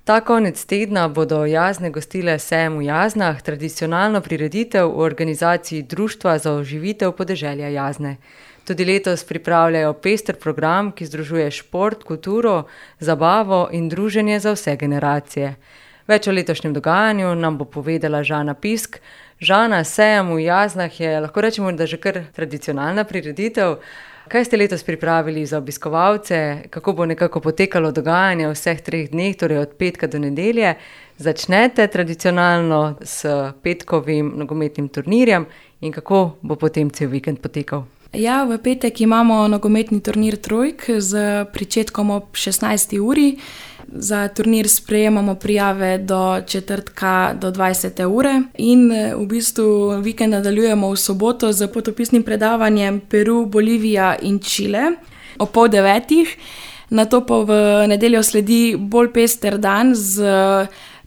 Ta konec tedna bodo Jazne gostile sejem v Jaznah, tradicionalno prireditev v organizaciji Društva za oživitev podeželja Jazne. Tudi letos pripravljajo pester program, ki združuje šport, kulturo, zabavo in druženje za vse generacije. Več o letošnjem dogajanju nam bo povedala Žana Pisk. Žana, sejem v Jaznah je, lahko rečemo, da že kar tradicionalna prireditev. Kaj ste letos pripravili za obiskovalce, kako bo nekako potekalo dogajanje v vseh 3 dneh, torej od petka do nedelje? Začnete tradicionalno s petkovim nogometnim turnirjem in kako bo potem cel vikend potekal? Ja, v petek imamo nogometni turnir trojk z pričetkom ob 16. uri. Za turnir sprejemamo prijave do četrtka do 20. ure in v bistvu vikend nadaljujemo v soboto z potopisnim predavanjem Peru, Bolivija in Čile ob 8:30. Nato pa v nedeljo sledi bolj pester dan z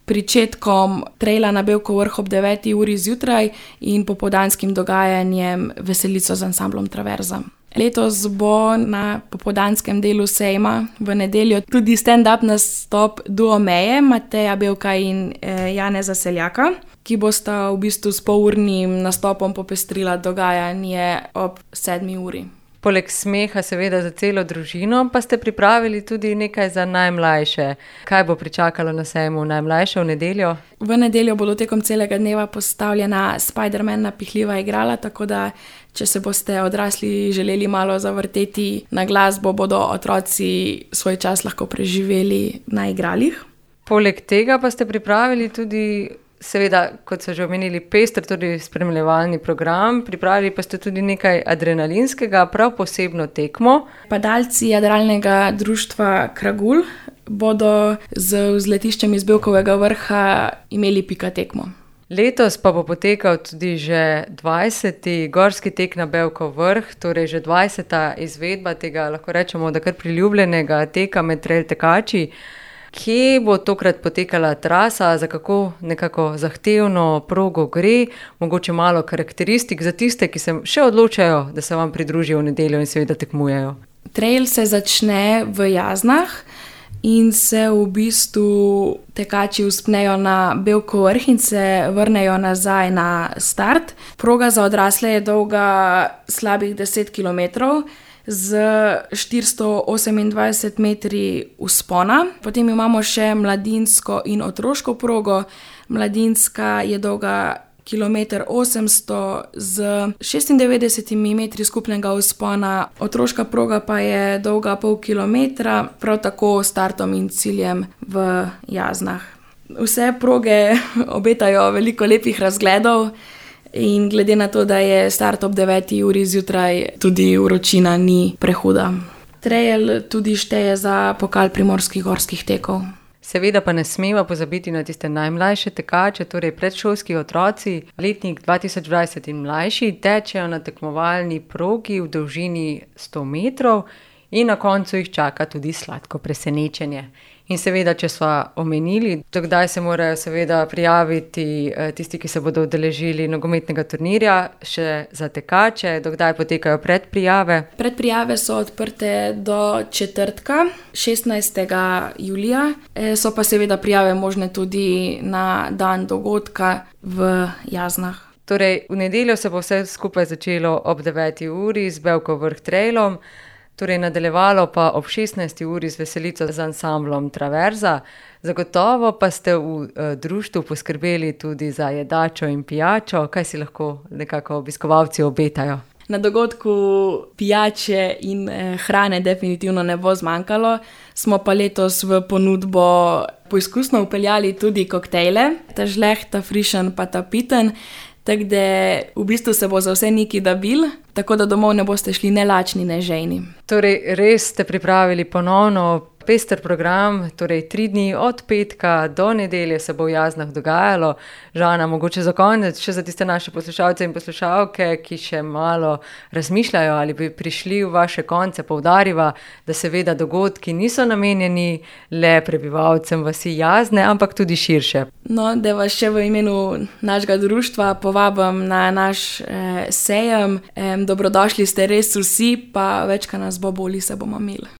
pričetkom trejla na Bevkov vrh ob 9. uri zjutraj in popoldanskim dogajanjem Veselico z ansamblom Traverza. Letos bo na popoldanskem delu sejma v nedeljo tudi stand-up nastop duo Meje, Mateja Bevka in Janeza Seljaka, ki bosta v bistvu s polurnim nastopom popestrila dogajanje ob 7. uri. Poleg smeha seveda za celo družino, pa ste pripravili tudi nekaj za najmlajše. Kaj bo pričakalo na sejmu najmlajše v nedeljo? V nedeljo bodo tekom celega dneva postavljena Spider-Man napihljiva igrala, tako da če se boste odrasli želeli malo zavrteti na glasbo, bodo otroci svoj čas lahko preživeli na igralih. Poleg tega pa ste pripravili tudi, seveda, kot so že omenili, pester, tudi spremljevalni program, pripravili pa ste tudi nekaj adrenalinskega, prav posebno tekmo. Padalci jadralnega društva Kragul bodo z vzletiščem iz Bevkovega vrha imeli pika tekmo. Letos pa bo potekal tudi že 20. gorski tek na Bevkov vrh, torej že 20. izvedba tega, lahko rečemo, da kar priljubljenega teka med trail tekači. Kje bo tokrat potekala trasa, za kako nekako zahtevno progo gre, mogoče malo karakteristik za tiste, ki se še odločajo, da se vam pridružijo v nedeljo in seveda tekmujejo? Trail se začne v Jaznah in se v bistvu tekači vzpnejo na Bevkov vrh in se vrnejo nazaj na start. Proga za odrasle je dolga slabih 10 kilometrov, z 428 metri vzpona. Potem imamo še mladinsko in otroško progo. Mladinska je dolga 1,800 z 96 metri skupnega vzpona. Otroška proga pa je dolga pol kilometra, prav tako s startom in ciljem v Jaznah. Vse proge obetajo veliko lepih razgledov. In glede na to, da je start ob 9. uri zjutraj, tudi vročina ni prehuda. Trail tudi šteje za pokal primorskih gorskih tekov. Seveda pa ne smemo pozabiti na tiste najmlajše tekače, torej predšolski otroci. Letnik 2020 in mlajši tečejo na tekmovalni progi v dolžini 100 metrov in na koncu jih čaka tudi sladko presenečenje. In seveda, če sva omenili, do kdaj se morajo seveda prijaviti tisti, ki se bodo udeležili nogometnega turnirja, še za tekače, do kdaj potekajo predprijave? Predprijave so odprte do četrtka, 16. julija, so pa seveda prijave možne tudi na dan dogodka v Jaznah. Torej, v nedeljo se bo vse skupaj začelo ob 9. uri z Bevkov vrh trailom, torej nadaljevalo pa ob 16. uri z Veselico z ansamblom Traverza. Zagotovo pa ste v društvu poskrbeli tudi za jedačo in pijačo. Kaj si lahko nekako obiskovalci obetajo? Na dogodku pijače in hrane definitivno ne bo zmanjkalo. Smo pa letos v ponudbo poizkusno vpeljali tudi koktejle, ta žleh, ta frišen pa ta piten. Tako da v bistvu se bo za vse neki dabil, tako da domov ne boste šli ne lačni, ne žejni. Torej, res ste pripravili ponovno pester program, torej 3 dni od petka do nedelje se bo v Jaznah dogajalo. Žana, mogoče za konec, še za tiste naše poslušalce in poslušalke, ki še malo razmišljajo ali bi prišli v vaše konce, poudariva, da seveda dogodki niso namenjeni le prebivalcem vasi Jazne, ampak tudi širše. No, da vas še v imenu našega društva povabim na naš sejem. Dobrodošli ste res vsi, pa več, kaj nas bo boli, se bomo imeli.